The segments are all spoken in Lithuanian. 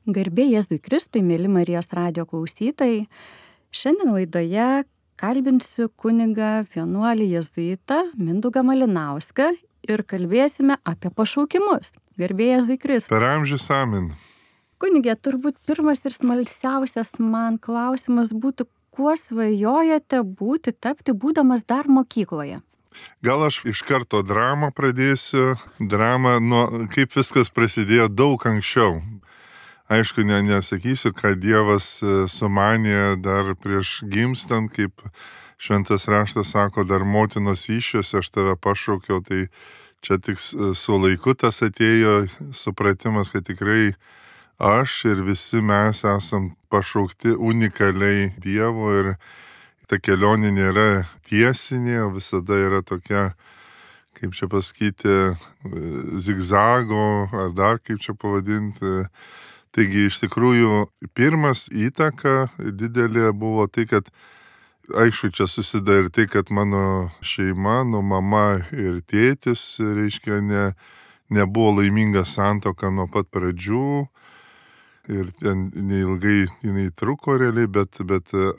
Garbė Jėzui Kristui, mėly Marijos radijo klausytojai. Šiandien laidoje kalbinsiu kunigą vienuolį jėzuitą Mindaugą Malinauską ir kalbėsime apie pašaukimus. Garbė Jėzui Kristui. Per amžius amen. Kunigė, turbūt pirmas ir smalsiausias man klausimas būtų, kuo svajojate tapti būdamas dar mokykloje? Gal aš iš karto dramą pradėsiu. Drama, kaip viskas prasidėjo daug anksčiau. Aišku, nesakysiu, kad Dievas sumanė dar prieš gimstant, kaip šventas raštas sako, dar motinos įsčiose aš tave pašaukiau, tai čia tik su laiku tas atėjo supratimas, kad tikrai aš ir visi mes esam pašaukti unikaliai Dievo ir ta kelionė nėra tiesinė, visada yra tokia, kaip čia pasakyti, zigzago ar dar kaip čia pavadinti. Taigi iš tikrųjų pirmas įtaka didelė buvo tai, kad aišku, čia susideda ir tai, kad mano šeima, mama ir tėtis, reiškia, nebuvo laiminga santuoka nuo pat pradžių ir ten neilgai jinai truko realiai, bet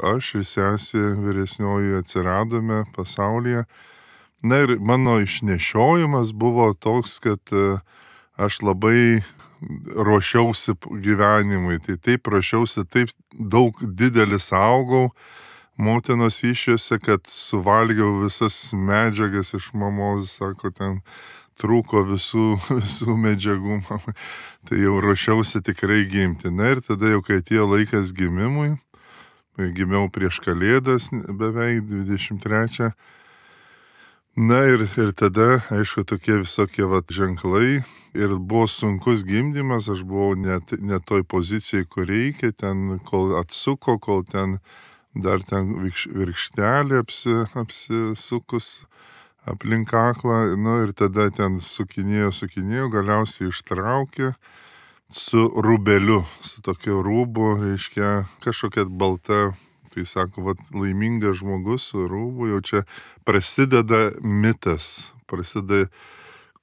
aš ir sesė vyresnioji atsiradome pasaulyje. Na ir mano išnešiojimas buvo toks, kad aš labai ruošiausi gyvenimui, tai taip ruošiausi, taip daug didelis augau motinos įsčiose, kad suvalgiau visas medžiagas iš mamos, sako, ten trūko visų medžiagų, tai jau ruošiausi tikrai gimti. Na ir tada jau, kai atėjo laikas gimimui, gimiau prieš Kalėdas beveik 23. Na ir tada, aišku, tokie visokie ženklai ir buvo sunkus gimdymas, aš buvau ne toj pozicijai, kur reikia, ten kol atsuko, kol ten dar ten virkštelė apsisukus aplink kaklą, ir tada ten sukinėjo, galiausiai ištraukė su rūbeliu, su tokiu rūbu, reiškia, kažkokia balta. Tai sako, laimingas žmogus su rūbu, jau čia prasideda mitas, prasideda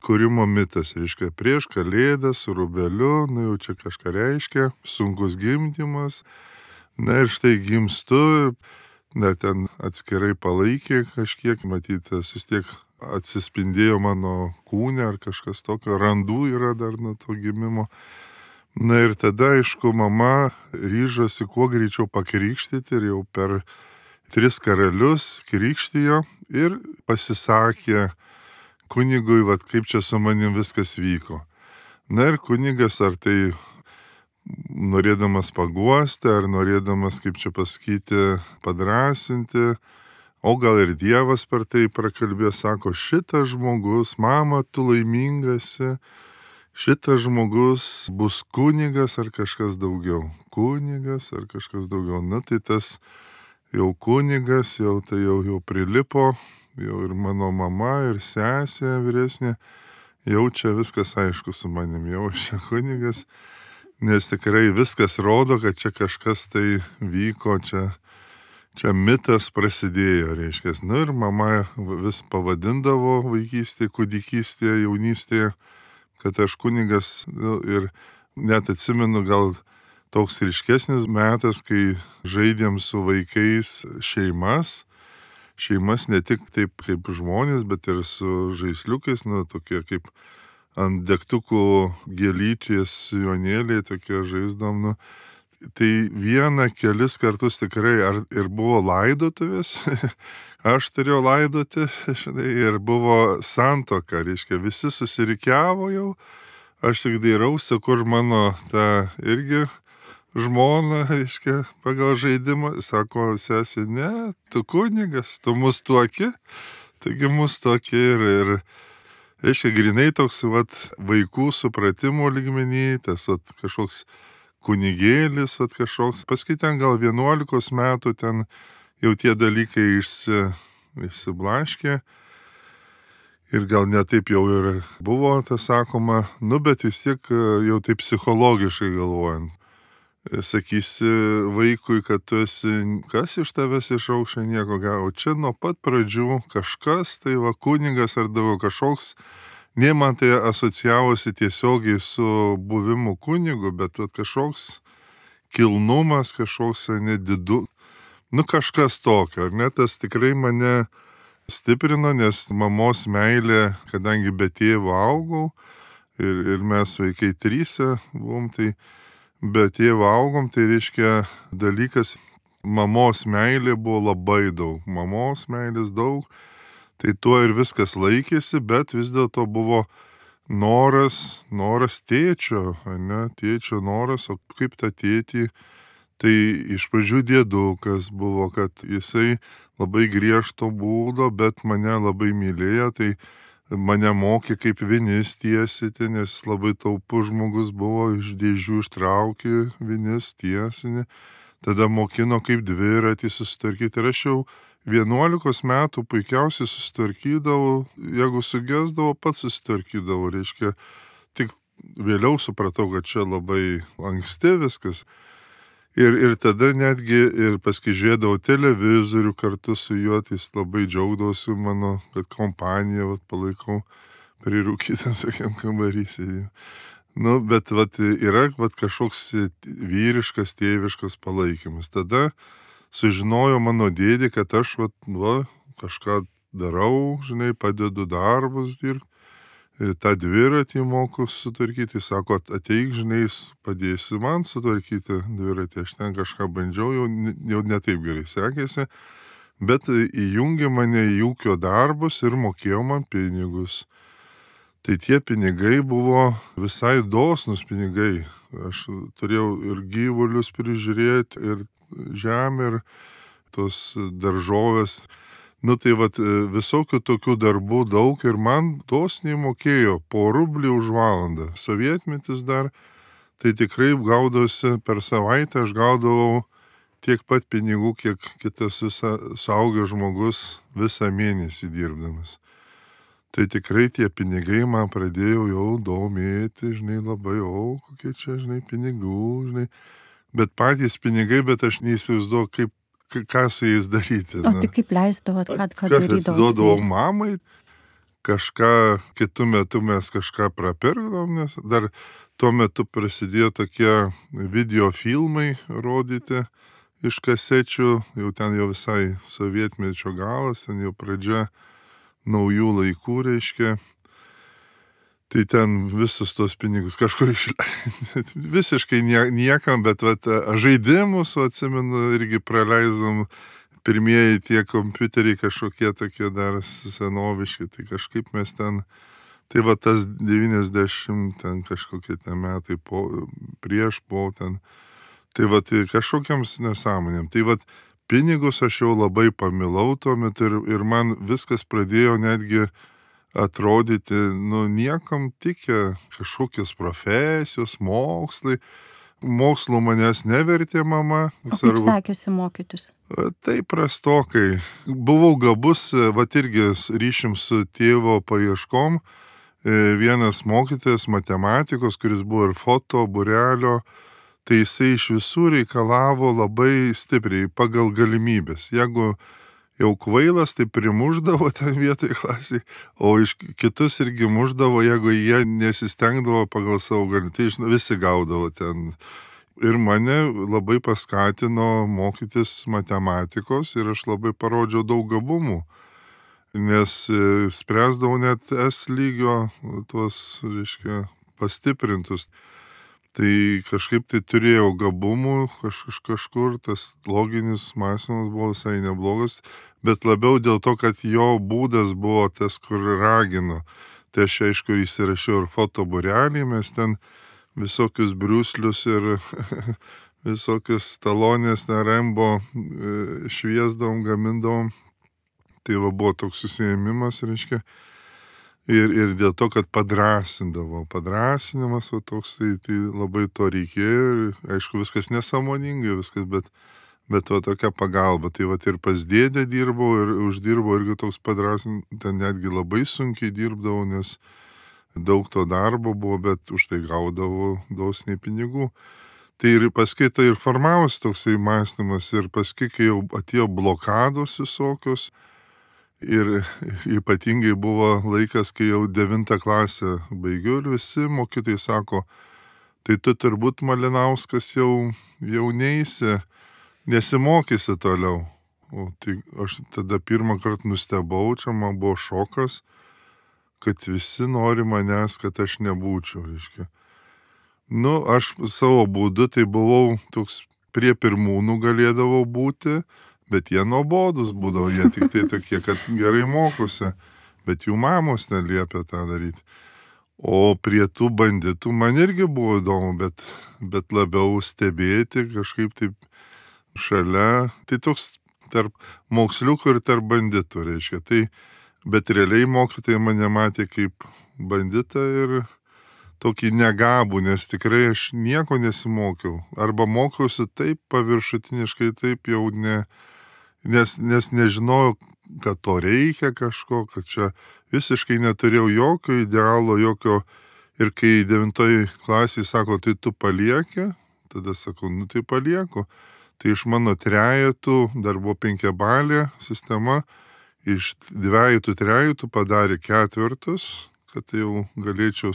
kūrimo mitas, reiškia, prieš Kalėdas su rūbeliu, jau čia kažką reiškia, sunkus gimdymas, ir štai gimstu, ten atskirai palaikė kažkiek, matytas, vis tiek atsispindėjo mano kūne ar kažkas tokio, randų yra dar nuo to gimimo. Ir tada, aišku, mama ryžosi kuo greičiau pakrikštyti ir jau per 3 karalius krikštijo ir pasisakė kunigui, kaip čia su manim viskas vyko. Ir kunigas ar tai norėdamas paguosti, ar norėdamas, kaip čia pasakyti, padrasinti, o gal ir Dievas per tai prakalbėjo, sako, šitas žmogus, mama, tu laimingasi, šitas žmogus bus kunigas ar kažkas daugiau. Kunigas ar kažkas daugiau. Tai tas jau kunigas, tai jau prilipo, jau ir mano mama, ir sesė vyresnė, jau čia viskas aišku su manim, jau aš čia kunigas, nes tikrai viskas rodo, kad čia kažkas tai vyko, čia mitas prasidėjo, reiškia. Ir mama vis pavadindavo vaikystėje, kūdikystėje, jaunystėje, kad aš kunigas, ir net atsimenu gal toks ryškesnis metas, kai žaidėm su vaikais šeimas ne tik taip kaip žmonės, bet ir su žaisliukais, tokie kaip ant degtukų gėlytės jonėliai, tokie žaisdom, tai kelis kartus tikrai ir buvo laidotuvės, aš turėjau laidoti, ir buvo santuoka, reiškia, visi susirikiavo jau, aš tik dairausi, kur mano ta irgi žmona, reiškia, pagal žaidimą, sako sesė, ne, tu kunigas, tu mus tuoki, taigi mus tuoki ir reiškia, grinai toks vaikų supratimo lygmenį, tas kažkoks kunigėlis, kažkoks, paskui ten gal 11 metų ten jau tie dalykai išsiblaškė ir gal netaip jau ir buvo, tas sakoma, bet vis tiek jau taip psichologiškai galvojant. Sakysi vaikui, kad tu esi, kas iš tavęs išaušia, nieko gero. Čia nuo pat pradžių kažkas, tai kunigas ar kažkoks nei man tai asocijavosi tiesiogiai su buvimu kunigu, bet kažkoks kilnumas, kažkoks nedidu, kažkas tokio, ar ne, tas tikrai mane stiprino, nes mamos meilė, kadangi be tėvo augau ir mes vaikai tryse buvom, tai be tėvo augom, tai reiškia dalykas, mamos meilė buvo labai daug, mamos meilės daug, tai tuo ir viskas laikėsi, bet vis dėlto buvo noras tėčio, ne, tėčio noras, o kaip tą tėtį, tai iš pradžių dėdukas buvo, kad jisai labai griežto būdo, bet mane labai mylėjo, tai mane mokė kaip vinis tiesyti, nes jis labai taupus žmogus buvo, iš dėžių ištraukė vinis tiesinį, tada mokino kaip dviratį susitvarkyti. Ir aš jau 11 metų puikiausiai susitvarkydavau, jeigu sugesdavau, pats susitvarkydavau, reiškia, tik vėliau supratau, kad čia labai anksti viskas. Ir tada netgi ir paskui žiūrėdavau televizorių kartu su juo, tai jis labai džiaugdavosi mano, kad kompaniją palaikau prirūkytam tokiam kambarysį. Bet yra kažkoks vyriškas, tėviškas palaikymas. Tada sužinojo mano dėdė, kad aš kažką darau, padedu darbus dirbti. Tą dviratį moku sutvarkyti, sako, ateik, padėsi man sutvarkyti dviratį, aš ten kažką bandžiau, jau ne taip gerai sekėsi, bet įjungė mane į ūkio darbus ir mokėjo man pinigus. Tai tie pinigai buvo visai dosnus pinigai, aš turėjau ir gyvulius prižiūrėti, ir žemę, ir tos daržovės. Tai visokių tokių darbų daug ir man dosniai mokėjo po rublį už valandą. Sovietmetis dar, tai tikrai gaudavosi per savaitę, aš gaudavau tiek pat pinigų, kiek kitas suaugęs žmogus visą mėnesį dirbdamas. Tai tikrai tie pinigai man pradėjo jau domėti, labai, kokie čia, pinigų, bet patys pinigai, bet aš neįsivaizduoju, ką su jais daryti. O tai kaip leisdavot, ką darydavot? Atiduodavau mamai, kažką, kitų metų mes kažką prapirkdavom, nes dar tuo metu prasidėjo tokie videofilmai rodyti iš kasečių, jau ten jau visai sovietmečio galas, ten jau pradžia naujų laikų, reiškia. Tai ten visus tos pinigus kažkur išleidžiam. Visiškai niekam, bet žaidimus, atsimenu, irgi praleidom, pirmieji tie kompiuteriai kažkokie tokie dar senoviški, tai kažkaip mes ten, tai tas 90 ten kažkokie ten metai prieš ten, tai kažkokiams nesąmonėm. Tai pinigus aš jau labai pamilau tuo metu ir man viskas pradėjo netgi atrodyti, niekam tikę kažkokios profesijos, mokslai. Mokslų manęs nevertė mama. O kaip sekėsi mokytis? Tai prastokai. Buvau gabus, irgi ryšim su tėvo paieškom. Vienas mokytojas matematikos, kuris buvo ir foto būrelio, tai jisai iš visų reikalavo labai stipriai pagal galimybės. Jeigu jau kvailas, tai primuždavo ten vietoj klasėj, o iš kitus irgi muždavo, jeigu jie nesistengdavo pagal savo galimybę, tai visi gaudavo ten. Ir mane labai paskatino mokytis matematikos ir aš labai parodžiau daug gabumų, nes spręsdavau net S lygio tuos, reiškia, pastiprintus. Tai kažkaip tai turėjau gabumų, kažkur tas loginis mąstymas buvo visai neblogas, bet labiau dėl to, kad jo būdas buvo tas, kur ragino. Tai aš aišku įsirašiau ir foto būrelį, mes ten visokius briuslius ir visokius talonės, Rembo šviesdavom, gamindavom. Tai buvo toks susiėmimas, reiškia. Ir dėl to, kad padrasindavo. Padrasinimas toks, tai labai to reikėjo. Ir aišku, viskas nesąmoningai, viskas, bet tokia pagalba. Tai ir pas dėdę dirbau ir uždirbau irgi toks padrasinimas. Ten netgi labai sunkiai dirbdavau, nes daug to darbo buvo, bet už tai gaudavau dosniai pinigų. Tai ir paskui tai ir formavosi toksai mąstymas. Ir paskui, kai jau atėjo blokados visokios, Ir ypatingai buvo laikas, kai jau 9 klasę baigiu ir visi mokytojai sako, tai tu turbūt Malinauskas jau neisi, nesimokysi toliau. O tai aš tada pirmą kartą nustebau, čia man buvo šokas, kad visi nori manęs, kad aš nebūčiau, reiškia. Aš savo būdu tai buvau toks prie pirmūnų galėdavau būti, bet jie nuobodus būdavo, jie tik tai tokie, kad gerai mokosi, bet jų mamos neliepia tą daryti. O prie tų banditų man irgi buvo įdomu, bet labiau stebėti kažkaip taip šalia. Tai toks tarp moksliukų ir tarp banditų, reiškia. Tai, bet realiai mokytojai mane matė kaip banditą ir tokį negabų, nes tikrai aš nieko nesimokiau. Arba mokiausi taip paviršutiniškai, taip jau nes nežinojau, kad to reikia kažko, kad čia visiškai neturėjau jokio idealo, jokio. Ir kai 9 klasėje sako, tai tu palieki, tada sakau, tai palieku. Tai iš mano trejetų, dar buvo 5-balė sistema, iš 2-3 padarė 4, kad tai jau galėčiau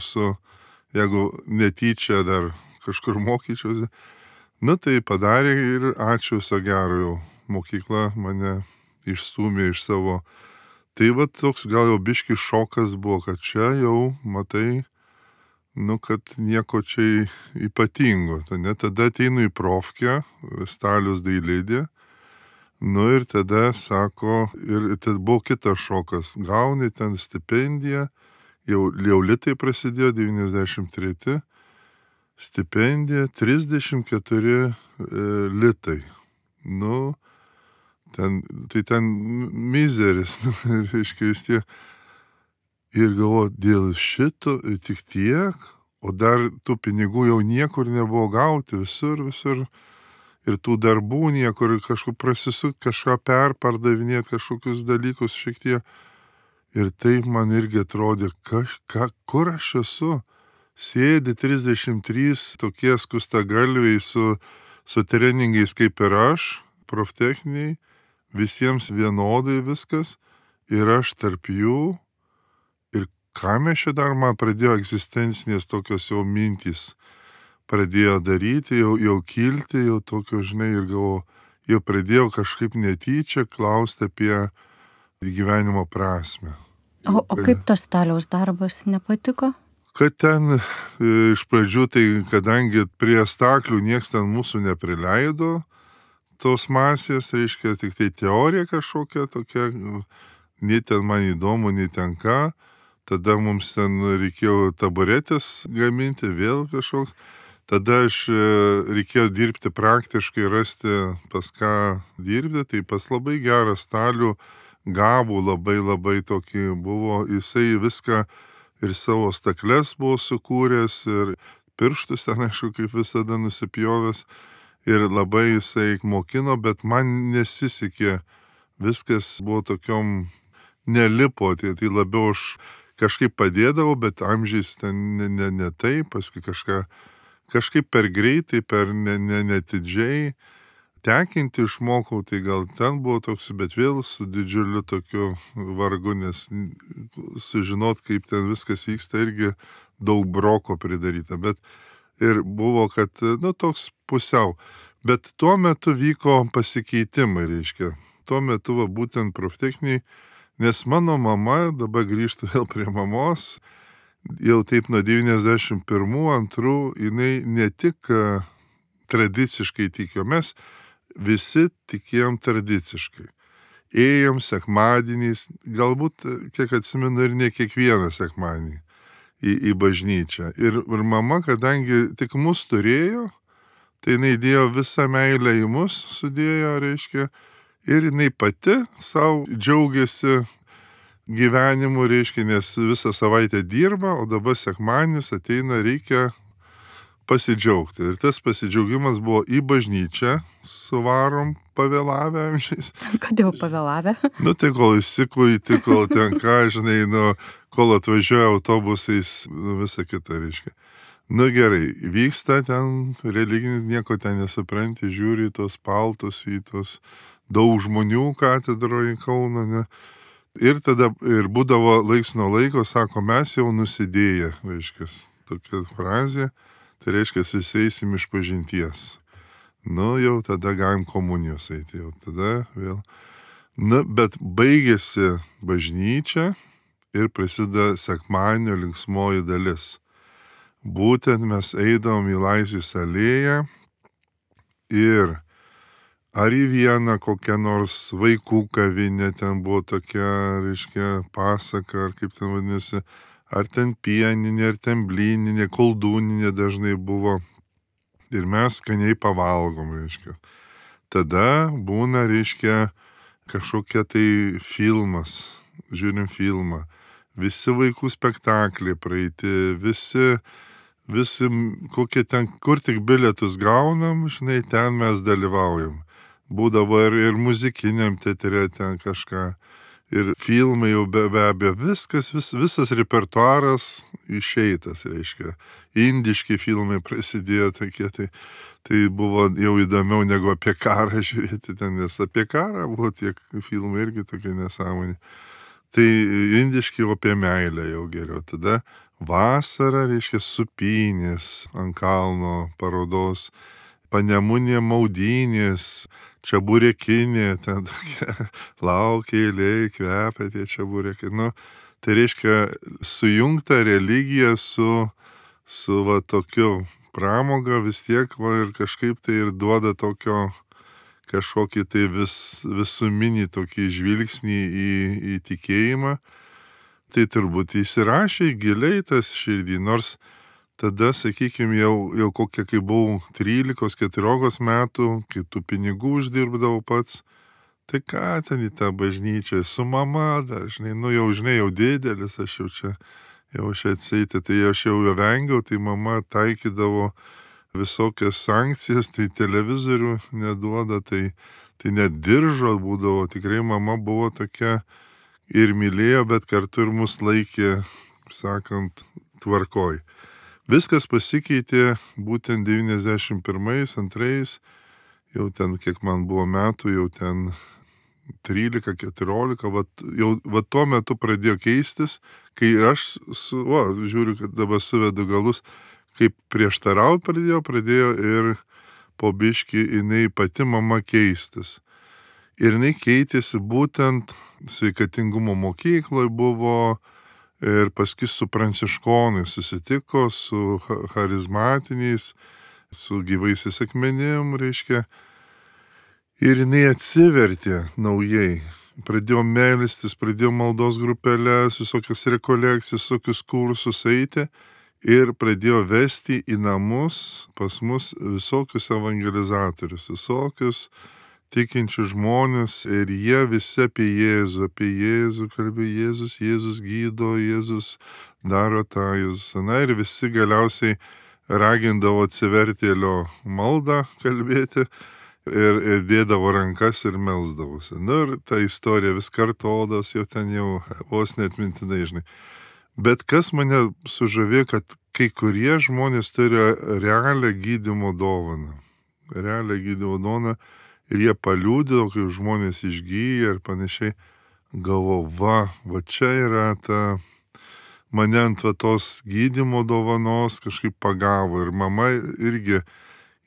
jeigu netyčia dar kažkur mokyčiausi. Tai padarė ir ačiū viso gero jau. Mokykla mane išstūmė iš savo. Tai toks gal jau biški šokas buvo, kad čia jau matai, kad nieko čia ypatingo. Tada ateinu į profkę, Staliaus dailidė. Ir tada sako, ir tada buvo kitas šokas. Gauni ten stipendiją, jau litai prasidėjo 93, stipendija 34 litai. Tai mizeris, reiškia vis tiek. Ir galvoju, dėl šito tik tiek, o dar tų pinigų jau niekur nebuvo gauti, visur. Ir tų darbų niekur, kažkur prasisukti, kažką perpardavinėti, kažkokius dalykus šiek tiek. Ir taip man irgi atrodė, kur aš esu. Sėdi 33 tokie skustagalviai su treningais kaip ir aš, proftechniniai, visiems vienodai viskas, ir aš tarp jų. Ir ką mes čia dar, man pradėjo egzistencinės tokios jau mintys, pradėjo daryti, jau kilti, jau tokio, žinai, ir galvoju, jau pradėjau kažkaip netyčia klausti apie gyvenimo prasmę. O kaip tas Staliaus darbas nepatiko? Kad ten iš pradžių, tai kadangi prie staklių nieks ten mūsų neprileido, tos masės, reiškia, tik tai teorija kažkokia tokia, nei ten man įdomu, nei ten ką. Tada mums ten reikėjo taburetės gaminti, vėl kažkoks. Tada reikėjo dirbti praktiškai, rasti pas ką dirbti. Tai pas labai gerą Stalių gabų, labai tokį buvo. Jisai viską ir savo stakles buvo sukūręs, ir pirštus ten, aišku, kaip visada nusipjovęs. Ir labai jisai mokino, bet man nesisekė. Viskas buvo tokiom nelipo, tai labiau aš kažkaip padėdavau, bet amžiais ten ne taip, paskui kažkaip per greitai, per netidžiai. Tekinti išmokau, tai gal ten buvo toks, bet vėl su didžiuliu tokiu vargu, nes sužinot, kaip ten viskas vyksta, irgi daug broko pridaryta. Bet ir buvo, kad, toks pusiau. Bet tuo metu vyko pasikeitimai, reiškia. Tuo metu būtent proftechniniai, nes mano mama, dabar grįžtu vėl prie mamos, jau taip nuo 91-2, jinai ne tik tradiciškai tikėjo, mes visi tikėjom tradiciškai. Ėjom sekmadieniais, galbūt, kiek atsimenu, ir ne kiekvieną sekmadienį į bažnyčią. Ir mama, kadangi tik mus turėjo, tai jinai dėjo visą meilę į mus, sudėjo, reiškia, ir jinai pati savo džiaugiasi gyvenimu, reiškia, nes visą savaitę dirba, o dabar sekmadienis ateina, reikia pasidžiaugti. Ir tas pasidžiaugimas buvo į bažnyčią, suvarom pavėlavę amžiais. Kodėl pavėlavę? Tai kol įsikuiti, kol ten ką, žinai, kol atvažiuoja autobusais, visą kitą, reiškia. Gerai, vyksta ten religinis, nieko ten nesupranti, žiūri į tos paltus, į tos daug žmonių katedroje Kauno, ne. Ir tada ir būdavo laiks nuo laiko, sako, mes jau nusidėję, reiškia, tokia frazė, tai reiškia, suseisim iš pažinties. Nu, jau tada galim komunijos eiti, jau tada vėl. Na, bet baigėsi bažnyčia ir prasideda sekmadienio linksmoji dalis. Būtent mes eidavom į Laisvės alėją ir ar į vieną kokią nors vaikų kavinę, ten buvo tokia, reiškia, pasaka, ar kaip ten vadinasi, ar ten pieninė, ar ten blyninė, koldūninė dažnai buvo. Ir mes skaniai pavalgom, reiškia. Tada būna, reiškia, kažkokia tai filmas, žiūrim filmą. Visi vaikų spektakliai praeiti, visi, kokie ten, kur tik bilietus gaunam, žinai, ten mes dalyvaujam. Būdavo ir muzikiniam teatre ten kažką. Ir filmai jau be abejo, visas repertuaras išeitas, reiškia. Indiški filmai prasidėjo tokie, tai buvo jau įdomiau negu apie karą žiūrėti ten, nes apie karą buvo tiek filmai irgi tokie nesąmonė. Tai indiški jau apie meilę jau geriau. Tada vasara, reiškia, supynės ant kalno parodos, panemunė maudynės, čeburekinė, ten tokia, laukia eilėj, kvepia tie čeburekai. Nu, tai reiškia sujungta religija su va tokiu pramoga vis tiek, va, ir kažkaip tai ir duoda tokio kažkokį tai visuminį tokį žvilgsnį į tikėjimą. Tai turbūt įsirašė giliai tas širdį, nors tada, sakykime, jau kokia, kai buvau 13-14 metų, kai tų pinigų uždirbdavau pats, tai ką ten į tą bažnyčią, su mama dar, žinai, jau didelis, aš jau čia atsieiti, tai aš jau vengiau, tai mama taikydavo visokias sankcijas, tai televizorių neduoda, tai net diržo būdavo, tikrai mama buvo tokia ir mylėjo, bet kartu ir mus laikė, sakant, tvarkoj. Viskas pasikeitė būtent 91-2, jau ten, kiek man buvo metų, jau ten 13-14, va tuo metu pradėjo keistis, kai aš, žiūriu, kad dabar suvedu galus, kaip prieštaraut pradėjo ir po biškį jinai pati mama keistis. Ir jinai keitėsi būtent sveikatingumo mokykloje buvo, ir paskui su pranciškonais susitiko, su charizmatiniais, su gyvaisiais akmenim, reiškia. Ir jinai atsivertė naujai. Pradėjo melstis, pradėjo maldos grupelės, visokias rekolekcijas, visokius kursus eiti ir pradėjo vesti į namus pas mus visokius evangelizatorius, visokius tikinčių žmonės, ir jie visi apie Jėzų kalbėjo, Jėzus gydo, Jėzus daro tą, na ir visi galiausiai ragindavo atsivertėlio maldą kalbėti ir dėdavo rankas ir melsdavosi. Nu ir ta istorija vis kartodos, jau ten jau vos net mintinai, žinai. Bet kas mane sužavėjo, kad kai kurie žmonės turi realią gydymo dovaną. Ir jie paliūdėjo, kaip žmonės išgyja ir panašiai. Galvo, va čia yra ta, mane ant tos gydymo dovanos kažkaip pagavo. Ir mama irgi,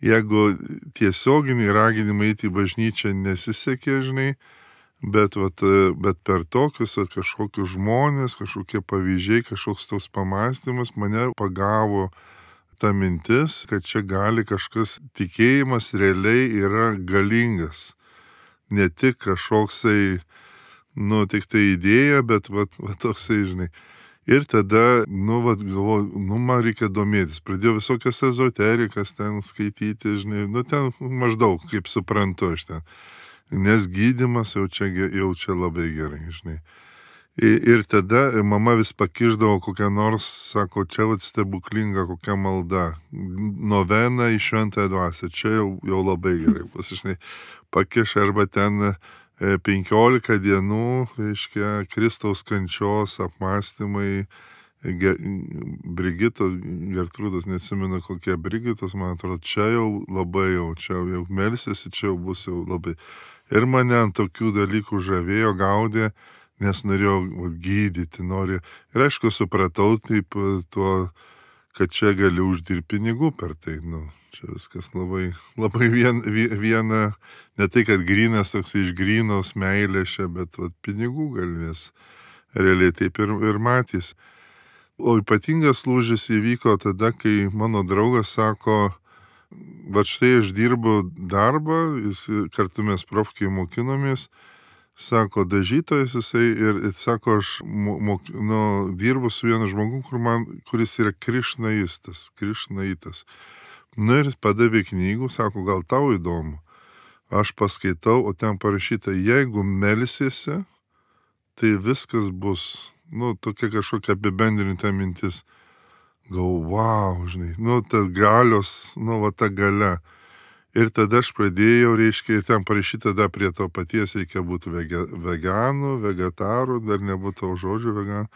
jeigu tiesioginiai raginimai eiti į bažnyčią nesisekė, žinai, bet per tokius kažkokius žmonės, kažkokie pavyzdžiai, kažkoks tos pamastymas mane pagavo ta mintis, kad čia gali kažkas, tikėjimas realiai yra galingas. Ne tik kažkoksai, tik tai idėja, bet toksai, žinai. Ir tada, galvoju, man reikia domėtis. Pradėjau visokias ezoterikas ten skaityti, žinai, ten maždaug, kaip suprantu aš ten. Nes gydymas jau čia labai gerai, žinai. Ir tada mama vis pakišdavo kokią nors, sako, čia stebuklinga kokia malda, novena į šventąją dvasią, čia jau labai gerai, žinai, pakiš arba ten 15 dienų, reiškia, Kristaus kančios apmąstymai, Brigitos, Gertrūdos, neatsimenu kokie Brigitos, man atrodo, čia jau labai čia jau melsiasi, čia jau bus jau labai. Ir mane ant tokių dalykų žavėjo, gaudė, nes norėjau gydyti, noriu. Ir aišku, supratau taip tuo, kad čia gali uždirbti pinigų per tai. Čia viskas labai, labai viena, ne tai, kad grynas toks iš grynos meilės čia, bet pinigų gali, nes realiai taip ir matys. O ypatingas lūžis įvyko tada, kai mano draugas sako, va štai aš dirbu darbą, jis kartu mes profkiai mokinomės, sako, dažytojas jisai ir sako, aš dirbu su vienu žmogum, kuris yra krišnaitas. Ir padavė knygų, sako, gal tau įdomu. Aš paskaitau, o ten parašyta, jeigu melsiesi, tai viskas bus, tokia kažkokia apibendrinta mintis. Wow, žinai, ta galios, ta galia. Ir tada aš pradėjau, reiškia, ten parašyta, tada prie to paties reikia būti veganų, vegetarų, dar nebūtų žodžių veganų.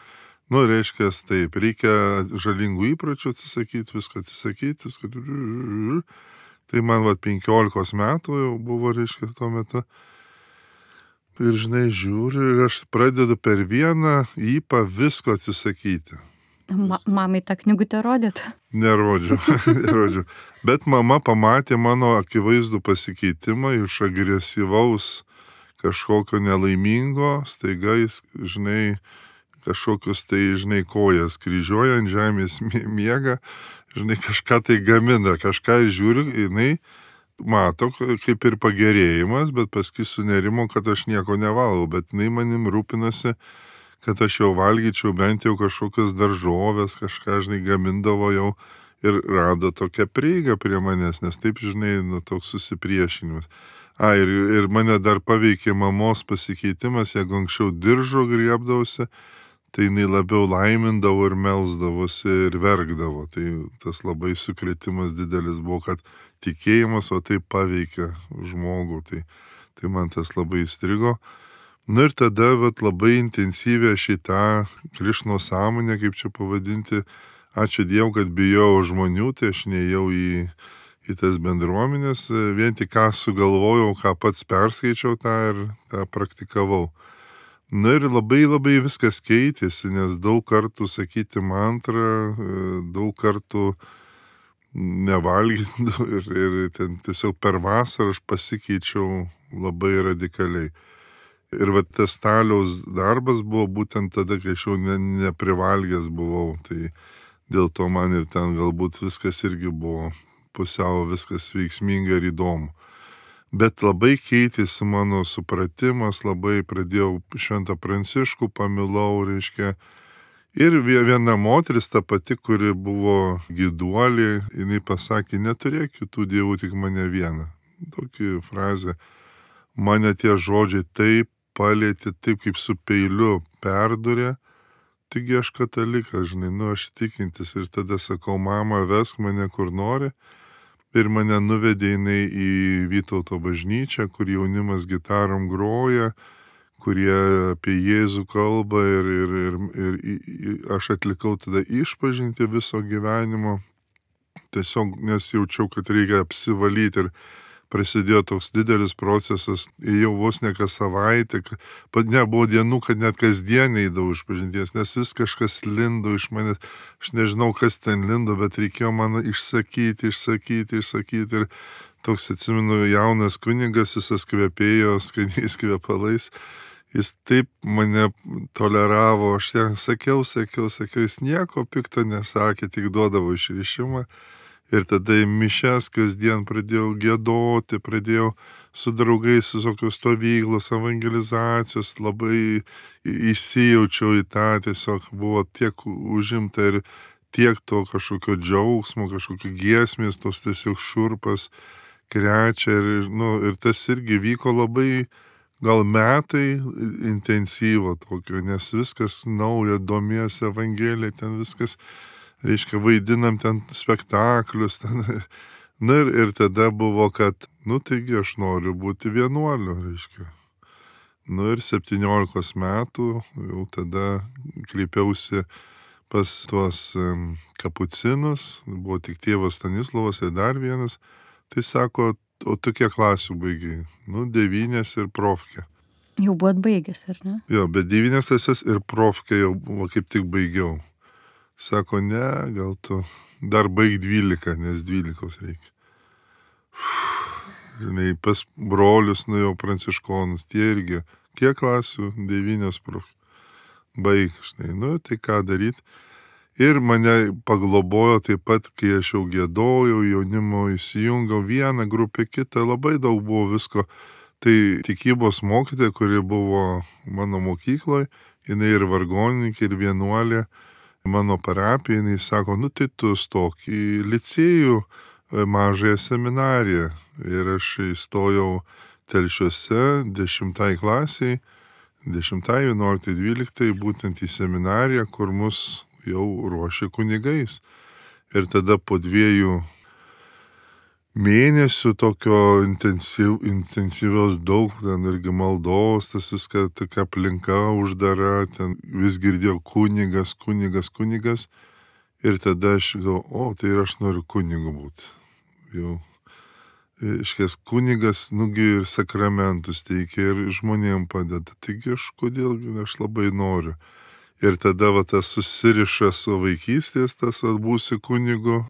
Reiškia, taip, reikia žalingų įpročių atsisakyti, visko atsisakyti, visko. Tai man 15 metų jau buvo, reiškia, tuo metu. Ir, žinai, žiūriu, ir aš pradedu per vieną įpą visko atsisakyti. Mamai tą knygutę rodėt? Nerodžiau. Bet mama pamatė mano akivaizdų pasikeitimą iš agresyvaus kažkokio nelaimingo, staiga jis, žinai, kažkokius tai, žinai, kojas kryžiuoja ant žemės miega, žinai, kažką tai gamina, kažką žiūriu, jinai mato kaip ir pagerėjimas, bet paskui sunerimo, kad aš nieko nevalgau, bet jinai manim rūpinasi, kad aš jau valgyčiau bent jau kažkokias daržovės, kažką, žinai, gamindavo jau ir rado tokią prieigą prie manęs, nes taip, žinai, toks susipriešinimas. Ir mane dar paveikė mamos pasikeitimas, jeigu anksčiau diržo griebdavosi, tai jinai labiau laimindavo ir melsdavosi ir verkdavo. Tai tas labai sukrėtimas didelis buvo, kad tikėjimas, o tai paveikia žmogų. Tai man tas labai įstrigo. Ir tada labai intensyviai šitą Krišno sąmonę, kaip čia pavadinti, ačiū Dievui, kad bijau žmonių, tai aš neėjau į tas bendruomenės, vien tik ką sugalvojau, ką pats perskaičiau tą ir tą praktikavau. Ir labai viskas keitėsi, nes daug kartų sakyti mantrą, daug kartų nevalgyti ir ten tiesiog per vasarą aš pasikeičiau labai radikaliai. Ir tas staliaus darbas buvo būtent tada, kai aš jau neprivalgęs buvau, tai dėl to man ir ten galbūt viskas irgi buvo pusiau viskas veiksminga ir įdomu. Bet labai keitėsi mano supratimas, labai pradėjau Šventą Pranciškų, pamilau, reiškia. Ir viena moteris, ta pati, kuri buvo gyduolė, jinai pasakė, neturėk kitų dievų, tik mane vieną. Tokia frazė. Mane tie žodžiai taip palėtė, taip kaip su peiliu perdurė. Taigi aš katalikas, žinai, aš tikintis. Ir tada sakau, mama, vesk mane kur nori. Ir mane nuvedė jinai į Vytauto bažnyčią, kur jaunimas gitarom groja, kurie apie Jėzų kalba ir aš atlikau tada išpažinti viso gyvenimo. Tiesiog nesijaučiau, kad reikia apsivalyti ir prasidėjo toks didelis procesas, jau vos ne kas savaitę, nebuvo dienų, kad net kasdien eidavau išpažinties, nes vis kažkas lindo iš manęs, aš nežinau, kas ten lindo, bet reikėjo man išsakyti ir toks, atsimenu, jaunas kunigas, jis kvepėjo skaniais kvepalais, jis taip mane toleravo, aš ten sakiau, jis nieko pikto nesakė, tik duodavo išrišimą. Ir tada į mišias kasdien pradėjau giedoti, pradėjau su draugais visokios stovyklos, evangelizacijos, labai įsijaučiau į tą, tiesiog buvo tiek užimta ir tiek to kažkokio džiaugsmo, kažkokio giesmės, tos tiesiog šurpas krečia ir tas irgi vyko labai gal metai intensyvo tokio, nes viskas nauja, domiesi Evangelija, ten viskas, reiškia, vaidinam ten spektaklius. Ir tada buvo, kad, taigi aš noriu būti vienuoliu, reiškia. Ir 17 metų jau tada kreipiausi pas tuos kapucinus, buvo tik tėvas Stanislovas ir dar vienas. Tai sako, o tu kiek klasių baigiai? 9 ir profkė. Jau buvot baigęs, ar ne? Jo, bet 9 klases ir profkę jau buvo kaip tik baigiau. Sako, ne, gal tu dar baig 12, nes 12 reikia. Žinai, pas brolius nuėjau pranciškonus, tie irgi. Kiek klasių? 9 profkę. Baig, žinai, nu tai ką daryti. Ir mane paglobojo taip pat, kai aš jau giedojau, jaunimo įsijungiau vieną grupę, kitą, labai daug buvo visko. Tai tikybos mokytoja, kuri buvo mano mokykloje, jinai ir vargonininkė, ir vienuolė mano parapija, jinai sako, nu tai tu stok į licėjų mažąją seminariją. Ir aš įstojau Telšiuose 10 klasiai, 10, 11, 12, būtent į seminariją, kur mus jau ruošė kunigais. Ir tada po 2 mėnesių tokio intensyvios daug, ten irgi maldos, tas viskas, tokia aplinka uždara, ten vis girdėjau kunigas. Ir tada aš galvoju, tai ir aš noriu kunigu būti. Jau. Iškės kunigas, nugi ir sakramentus teikia, ir žmonėm padeda. Taigi kodėl aš labai noriu. Ir tada tas susiriša su vaikystės, tas būsi kunigu.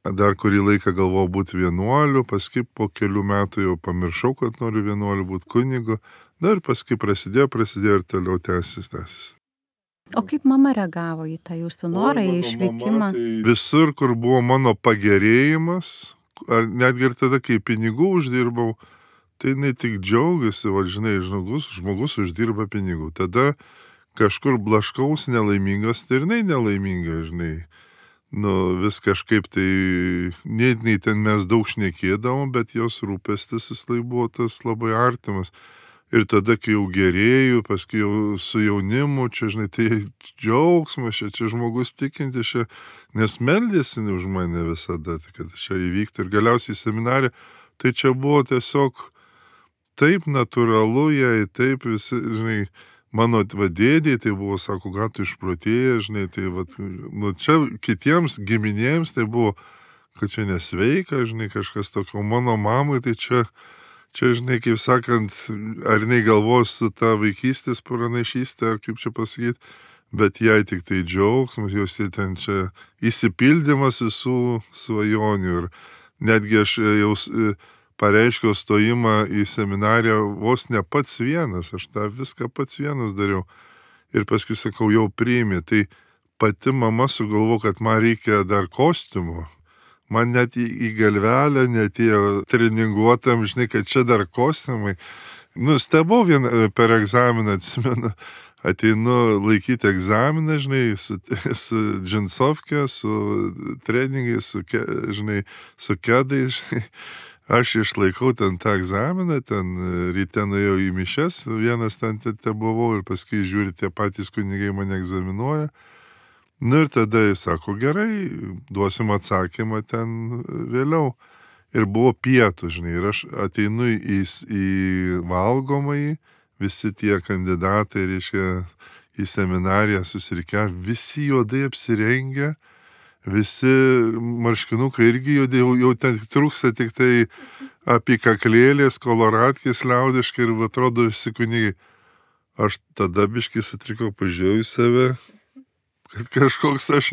Dar kurį laiką galvojau būti vienuoliu, paskui po kelių metų jau pamiršau, kad noriu vienuoliu būti kunigu. Ir paskui prasidėjo ir toliau tęsis. O kaip mama reagavo į tą jūsų norą, į išvykimą? Tai visur, kur buvo mano pagerėjimas, ar netgi ir tada, kai pinigų uždirbau, tai jinai tik džiaugiasi, žinai, žmogus uždirba pinigų. Tada kažkur blaškaus nelaimingas, tai ir jinai nelaiminga, žinai. Vis kažkaip tai, nei ten mes daug šnekėdavom, bet jos rūpestis jis buvo tas labai artimas. Ir tada, kai jau gerėjau, paskui jau su jaunimu, čia, žinai, tai džiaugsmas, čia žmogus tikintis, nes meldėsi už mane visada, kad čia įvyktų. Ir galiausiai seminarė, tai čia buvo tiesiog taip natūralu jai, taip visi, žinai, mano dėdė, tai buvo, sako, gal tu išprotėjai, žinai, tai čia kitiems giminėms tai buvo, kad čia nesveika, žinai, kažkas tokio. Mano mamai, tai čia, žinai, kaip sakant, ar jinai galvos su ta vaikystės pranašystė, ar kaip čia pasakyti, bet jai tik tai džiaugsmas, jos ten čia įsipildymas visų svajonių. Ir netgi aš jau pareiškiau stojimą į seminariją vos ne pats vienas, aš tą viską pats vienas dariau. Ir paskui sakau, jau priėmė, tai pati mama sugalvo, kad man reikia dar kostiumo. Man net į galvelę netėjo treninguotam, žinai, kad čia dar kostiumai. Stebau per egzaminą, atsimenu, ateinu laikyti egzaminą, žinai, su džinsovke, su treningais, su kedais, žinai. Aš išlaikau ten tą egzaminą, ten ryte nuėjau į mišes, vienas ten buvau ir paskui žiūri, tie patys kunigai mane egzaminuoja. Ir tada jis sako, gerai, duosim atsakymą ten vėliau. Ir buvo pietų, žinai, ir aš ateinu į valgomąjį, visi tie kandidatai, reiškia, į seminariją susirikę, visi juodai apsirengę, visi marškinukai irgi jau ten trūksta tik tai apykaklėlės, koloratkės liaudiškai ir atrodo visi kunigai. Aš tada biškai sutrikau, pažiūrėjau į save, kad kažkoks aš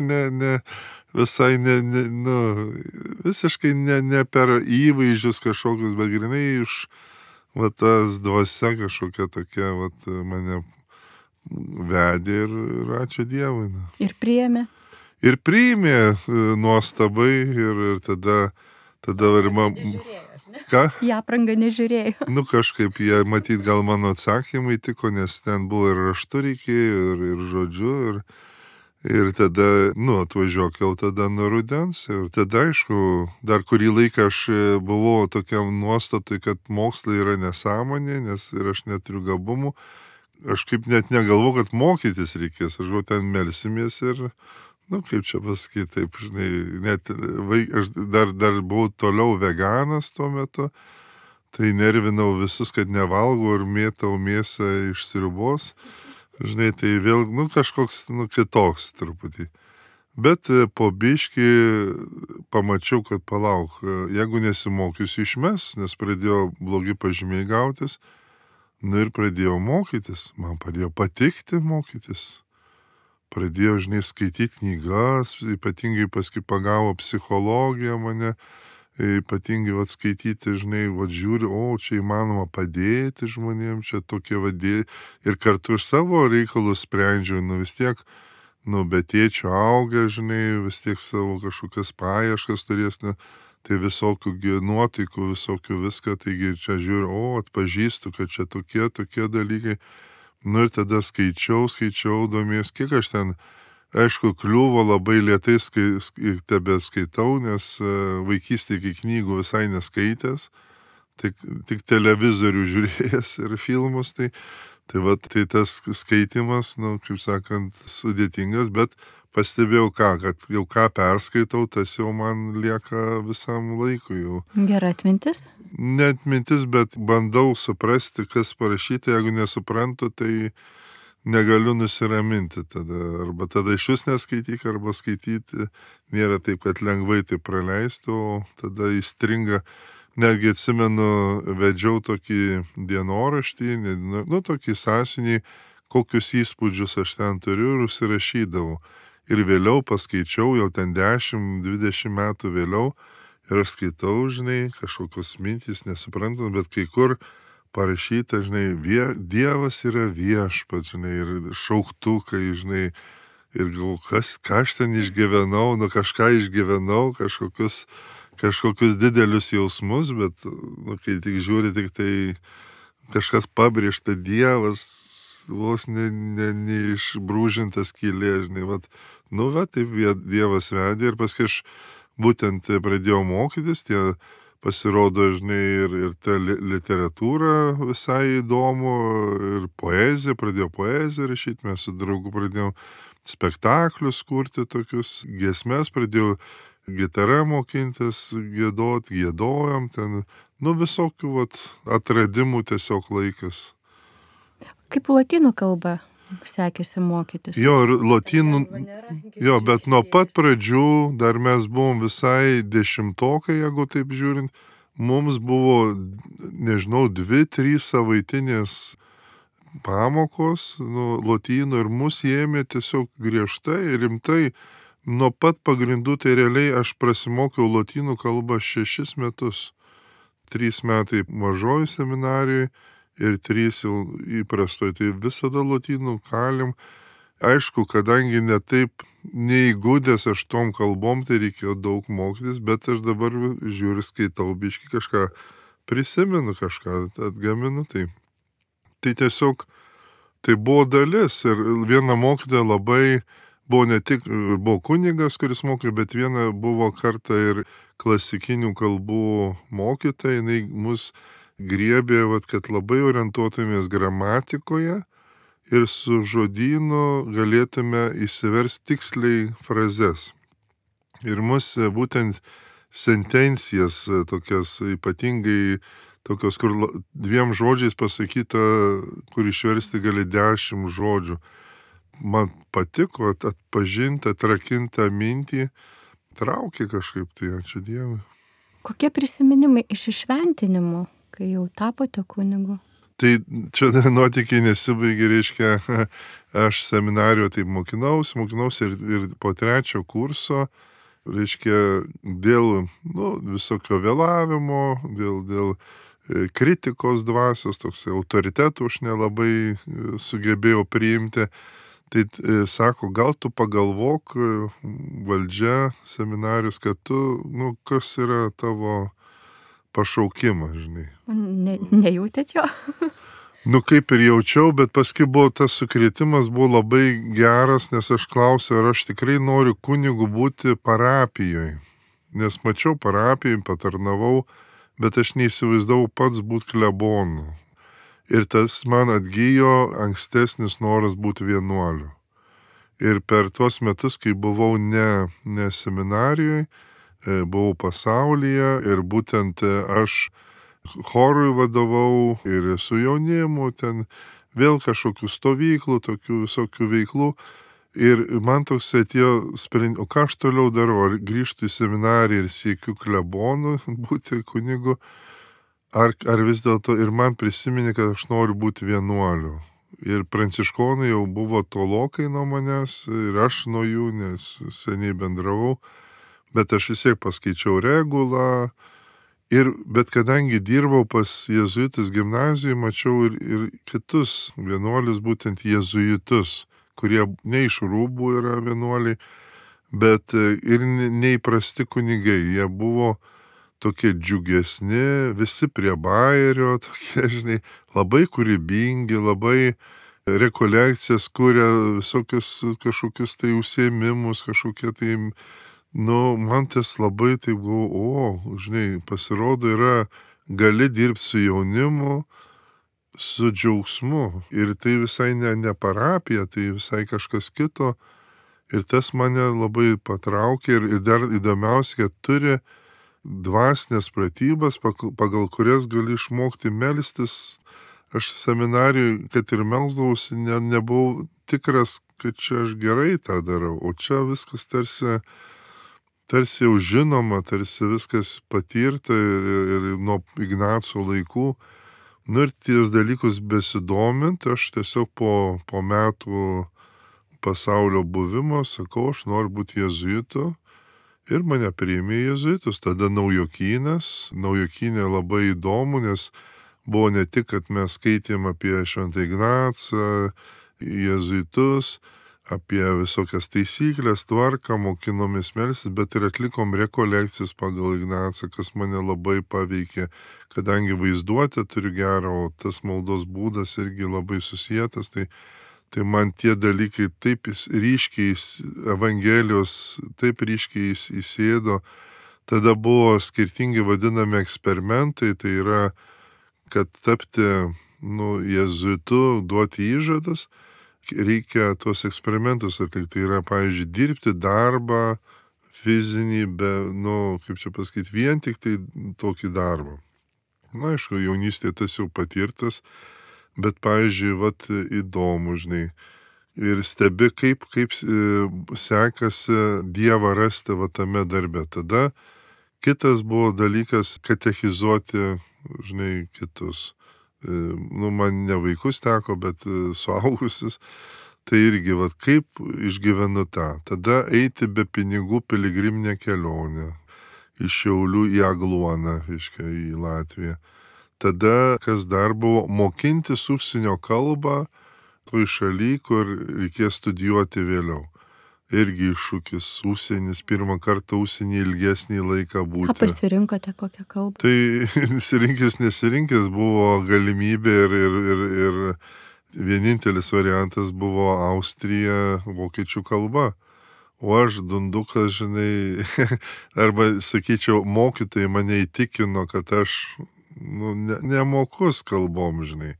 visiškai ne per įvaizdžius kažkokius, bet grinai iš tas dvasia kažkokia tokia mane vedė ir ačiū Dievui. Ir priėmė. Ir priėmė nuostabai ir tada ir Ką? Į aprangą nežiūrėjau. Kažkaip jie, matyt, gal mano atsakymai tiko, nes ten buvo ir raštu reikėjo, ir žodžiu, ir tada, atvažiuok jau tada nuo rudens. Ir tada, aišku, dar kurį laiką aš buvau tokiam nuostatui, kad mokslai yra nesąmonė, nes ir aš neturiu gabumų. Aš kaip net negalvoju, kad mokytis reikės. Aš ten melsimės ir, kaip čia pasakyti, taip, žinai, net aš dar buvau toliau veganas tuo metu, tai nervinau visus, kad nevalgau ir mėtau mėsą iš sriubos. Žinai, tai vėl, kažkoks, kitoks truputį. Bet po biškį pamačiau, kad palauk, jeigu nesimokysiu išmes, nes pradėjo blogi pažymiai gautis, Nu ir pradėjau mokytis, man pradėjo patikti mokytis. Pradėjau, skaityti knygas, ypatingai paskui pagavo psichologiją mane, ypatingai skaityti, žiūri, čia įmanoma padėti žmonėms, čia tokie ir kartu iš savo reikalus sprendžiu, vis tiek, be tėčio auga, vis tiek savo kažkokias paieškas turės, tai visokių nuotaikų, visokių viską, taigi čia žiūriu, atpažįstu, kad čia tokie dalykai. Ir tada skaičiau, domės, kiek aš ten, aišku, kliuvo labai lėtai tebe skaitau, nes vaikystėje iki knygų visai neskaitęs, tik televizorių žiūrėjęs ir filmus, tai tas skaitimas, kaip sakant, sudėtingas, bet pastebėjau kad jau ką perskaitau, tas jau man lieka visam laikui jau. Gera atmintis? Ne atmintis, bet bandau suprasti, kas parašyta, jeigu nesuprantu, tai negaliu nusiraminti tada. Arba tada iš vis neskaityk, arba skaityti nėra taip, kad lengvai tai praleistų, o tada įstringa. Netgi atsimenu, vedžiau tokį dienoraštį, tokį sąsiuvinį, kokius įspūdžius aš ten turiu ir užsirašydavau. Ir vėliau paskaičiau, jau ten 10-20 metų vėliau, ir aš skaitau, kažkokios mintys, nesuprantant, bet kai kur parašyta, Dievas yra viešpats, ir šauktukai, ir galvoju, ką aš ten išgyvenau, kažką išgyvenau, kažkokius didelius jausmus, bet, kai tik žiūri, tik tai kažkas pabrėžta, Dievas, vos neišbrūžintas skylė, taip Dievas vedė ir paskui aš būtent pradėjau mokytis, pasirodo, ir ta literatūra visai įdomu, ir poezija, pradėjau poeziją rašyti, mes su draugu pradėjom spektaklius kurti tokius, giesmes, pradėjau gitarą mokintis, giedojom ten, visokių atradimų tiesiog laikas. Kaip lotynų kalba sekėsi mokytis? Jo, ir lotynų, bet nuo pat pradžių, dar mes buvom visai dešimtokai, jeigu taip žiūrint, mums buvo, 2-3 savaitinės pamokos, lotynų, ir mus ėmė tiesiog griežtai ir rimtai. Nuo pat pagrindų, tai realiai aš prasimokiau lotynų kalbą 6 metus. 3 metai mažoji seminarijoje ir 3 jau įprastoj, tai visada lotynų kalim. Aišku, kadangi netaip neįgudęs aš tom kalbom, tai reikėjo daug mokytis, bet aš dabar žiūriu, skaitau biškį kažką, prisimenu kažką, atgaminu, tai tiesiog tai buvo dalis. Ir viena mokytoja labai buvo ne tik, buvo kunigas, kuris mokė, bet viena buvo kartą ir klasikinių kalbų mokytoja, jinai mus griebė, kad labai orientuotumės gramatikoje ir su žodynu galėtume įsiversti tiksliai frazes. Ir mus būtent sentencijas tokias, ypatingai tokios, kur 2 žodžiais pasakyta, kur išversti gali 10 žodžių. Man patiko atpažinti, atrakinti mintį, traukė kažkaip, tai ačiū Dievui. Kokie prisiminimai iš įšventinimų, kai jau tapote kunigu? Tai čia nuotykiai nesibaigė, reiškia, aš seminarijoje taip mokinausi ir po 3 kurso, reiškia, dėl visokio vėlavimo, dėl kritikos dvasios, toks autoritetų aš nelabai sugebėjau priimti. Tai sako, gal tu pagalvok, valdžia, seminarijos, kad tu, kas yra tavo pašaukimas, Nejautėt jo? Kaip ir jaučiau, bet paskui buvo tas sukrėtimas, buvo labai geras, nes aš klausiau, ar aš tikrai noriu kunigu būti parapijoje. Nes mačiau parapijoje, patarnavau, bet aš neįsivaizdavau pats būti klebonu. Ir tas man atgijo ankstesnis noras būti vienuoliu. Ir per tuos metus, kai buvau ne seminarijoje, buvau pasaulyje ir būtent aš chorui vadovau ir su jaunimu, ten vėl kažkokių stovyklų, tokių visokių veiklų. Ir man toks atėjo sprendimas, o ką aš toliau darau, ar grįžtu į seminariją ir siekiu klebonu būti kunigu, ar vis dėlto ir man prisiminė, kad aš noriu būti vienuoliu. Ir pranciškonai jau buvo tolokai nuo manęs ir aš nuo jų, nes seniai bendravau, bet aš vis tiek paskaičiau regulą. Bet kadangi dirbau pas jėzuitus gimnazijoje, mačiau ir kitus vienuolius, būtent jėzuitus, kurie ne iš rūbų yra vienuoliai, bet ir neįprasti kunigai. Jie buvo tokie džiugesni, visi prie bajerio, tokie, žinai, labai kūrybingi, labai rekolekcijas kuria, visokius kažkokius tai užsiėmimus, kažkokie tai, man tas labai taip galvo, žinai, pasirodo gali dirbti su jaunimu, su džiaugsmu. Ir tai visai ne parapija, tai visai kažkas kito. Ir tas mane labai patraukė ir dar įdomiausia, kad turi dvasinės pratybas, pagal kurias gali išmokti melstis. Aš seminarijoj, kad ir melsdavausi, nebuvau tikras, kad čia aš gerai tą darau, o čia viskas tarsi jau žinoma, tarsi viskas patirta ir nuo Ignaco laikų. Ir ties dalykus besidomint, aš tiesiog po metų pasaulio buvimo sakau, aš noriu būti jėzuitu. Ir mane priėmė jėzuitus, tada Naujokynė labai įdomu, nes buvo ne tik, kad mes skaitėm apie Šventą Ignacą, jėzuitus, apie visokias taisyklės, tvarką, mokinomės melstis, bet ir atlikom rekolekcijas pagal Ignacą, kas mane labai paveikė, kadangi vaizduotę turiu gerą, o tas maldos būdas irgi labai susietas, tai man tie dalykai taip ryškiai, Evangelijos taip ryškiai įsėdo. Tada buvo skirtingi vadinami eksperimentai, tai yra, kad tapti jėzuitu, duoti įžadus, reikia tuos eksperimentus atlikti. Tai yra, pavyzdžiui, dirbti darbą fizinį, vien tik tai tokį darbą. Aišku, jaunystėje tas jau patirtas, bet, pavyzdžiui, įdomu, žinai, ir stebi, kaip sekasi Dievą rasti tame darbe. Tada kitas buvo dalykas katechizuoti, žinai, kitus. Man ne vaikus teko, bet suaugusius. Tai irgi, kaip išgyvenu tą. Tada eiti be pinigų piligriminę kelionę. Iš Šiaulių į Agluoną, į Latviją. Tada, kas dar buvo, mokintis užsienio kalbą toj šaly, kur reikės studijuoti vėliau. Irgi iššūkis, užsienis, pirmą kartą užsienį ilgesnį laiką būti. Ką pasirinkote, kokią kalbą? Tai nesirinkęs buvo galimybė ir vienintelis variantas buvo Austrija vokiečių kalba. O aš dundukas, žinai, arba, sakyčiau, mokytojai mane įtikino, kad aš nemokus kalbom, žinai.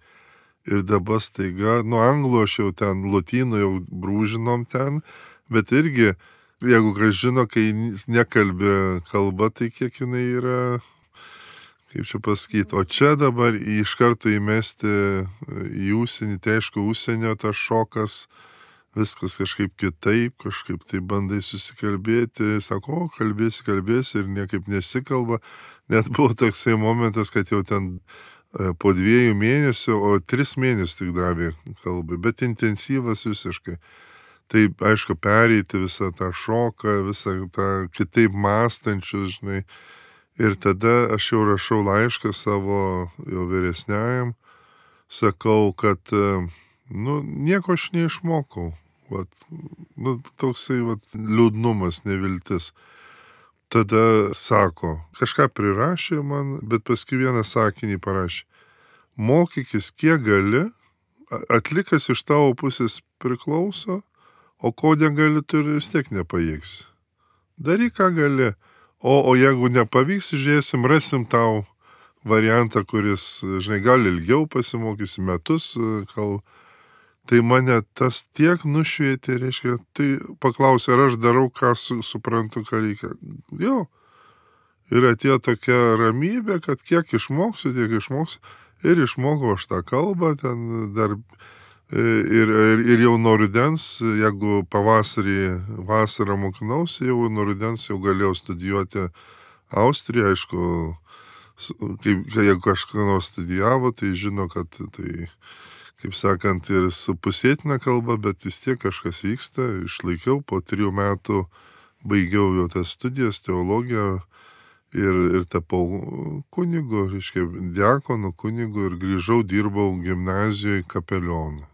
Ir dabar staiga, anglų aš jau ten, lotynų jau brūžinom ten, bet irgi, jeigu kas žino, kai nekalbė kalba, tai kiek jinai yra, kaip čia pasakyti, o čia dabar iš karto įmesti į užsienį, tai aišku, užsienio tas šokas, viskas kažkaip kitaip, kažkaip tai bandai susikalbėti, sako, kalbėsi ir niekaip nesikalba. Net buvo toksai momentas, kad jau ten po 2 mėnesių, o 3 mėnesius tik davė kalbai, bet intensyvas visiškai. Tai, aišku, pereiti visą tą šoką, visą tą kitaip mąstančius, žinai. Ir tada aš jau rašau laišką savo jau vyresniajam, sakau, kad, nieko aš neišmokau. Toksai liūdnumas, neviltis. Tada sako, kažką prirašė man, bet paskui vieną sakinį parašė. Mokykis kiek gali, atlikas iš tavo pusės priklauso, o ko negali, tu vis tiek nepajėgsi. Daryk, ką gali. O jeigu nepavyks, žiūrėsim, rasim tau variantą, kuris, žinai, gal ilgiau pasimokysi, metus kalbą. Tai mane tas tiek nušvietė, reiškia, tai paklausė, ar aš darau, ką suprantu, ką reikia. Jo. Ir atėjo tokia ramybė, kad kiek išmoksiu, tiek išmoksiu. Ir išmokau aš tą kalbą, ten dar ir jau nuo rudens, jeigu vasarą mokinausi, jau nuo rudens jau galėjau studijuoti Austriją, aišku, jeigu kažką nors studijavo, tai žino, kad tai, kaip sakant, ir su pusėtina kalba, bet vis tiek kažkas vyksta. Išlaikiau, po 3 metų baigiau jau tas studijas, teologiją ir tapau kunigu, reiškia, diakonu, kunigu ir grįžau, dirbau gimnazijoje kapelionu,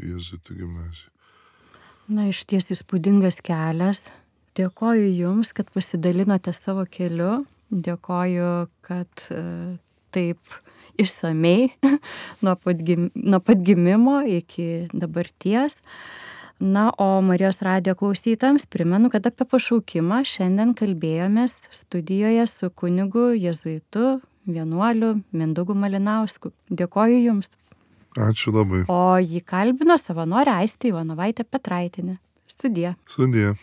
jėzuitų gimnazijoje. Na, iš ties įspūdingas kelias. Dėkoju Jums, kad pasidalinote savo keliu. Dėkoju, kad taip išsamei nuo pat gimimo iki dabarties. Na, o Marijos radijo klausytojams primenu, kad apie pašaukimą šiandien kalbėjomės studijoje su kunigu jėzuitu vienuoliu Mindaugu Malinausku. Dėkoju Jums. Ačiū labai. O jį kalbino savanorė Aistė Ivanovaitė Petraitienė. Sudie. Sudie.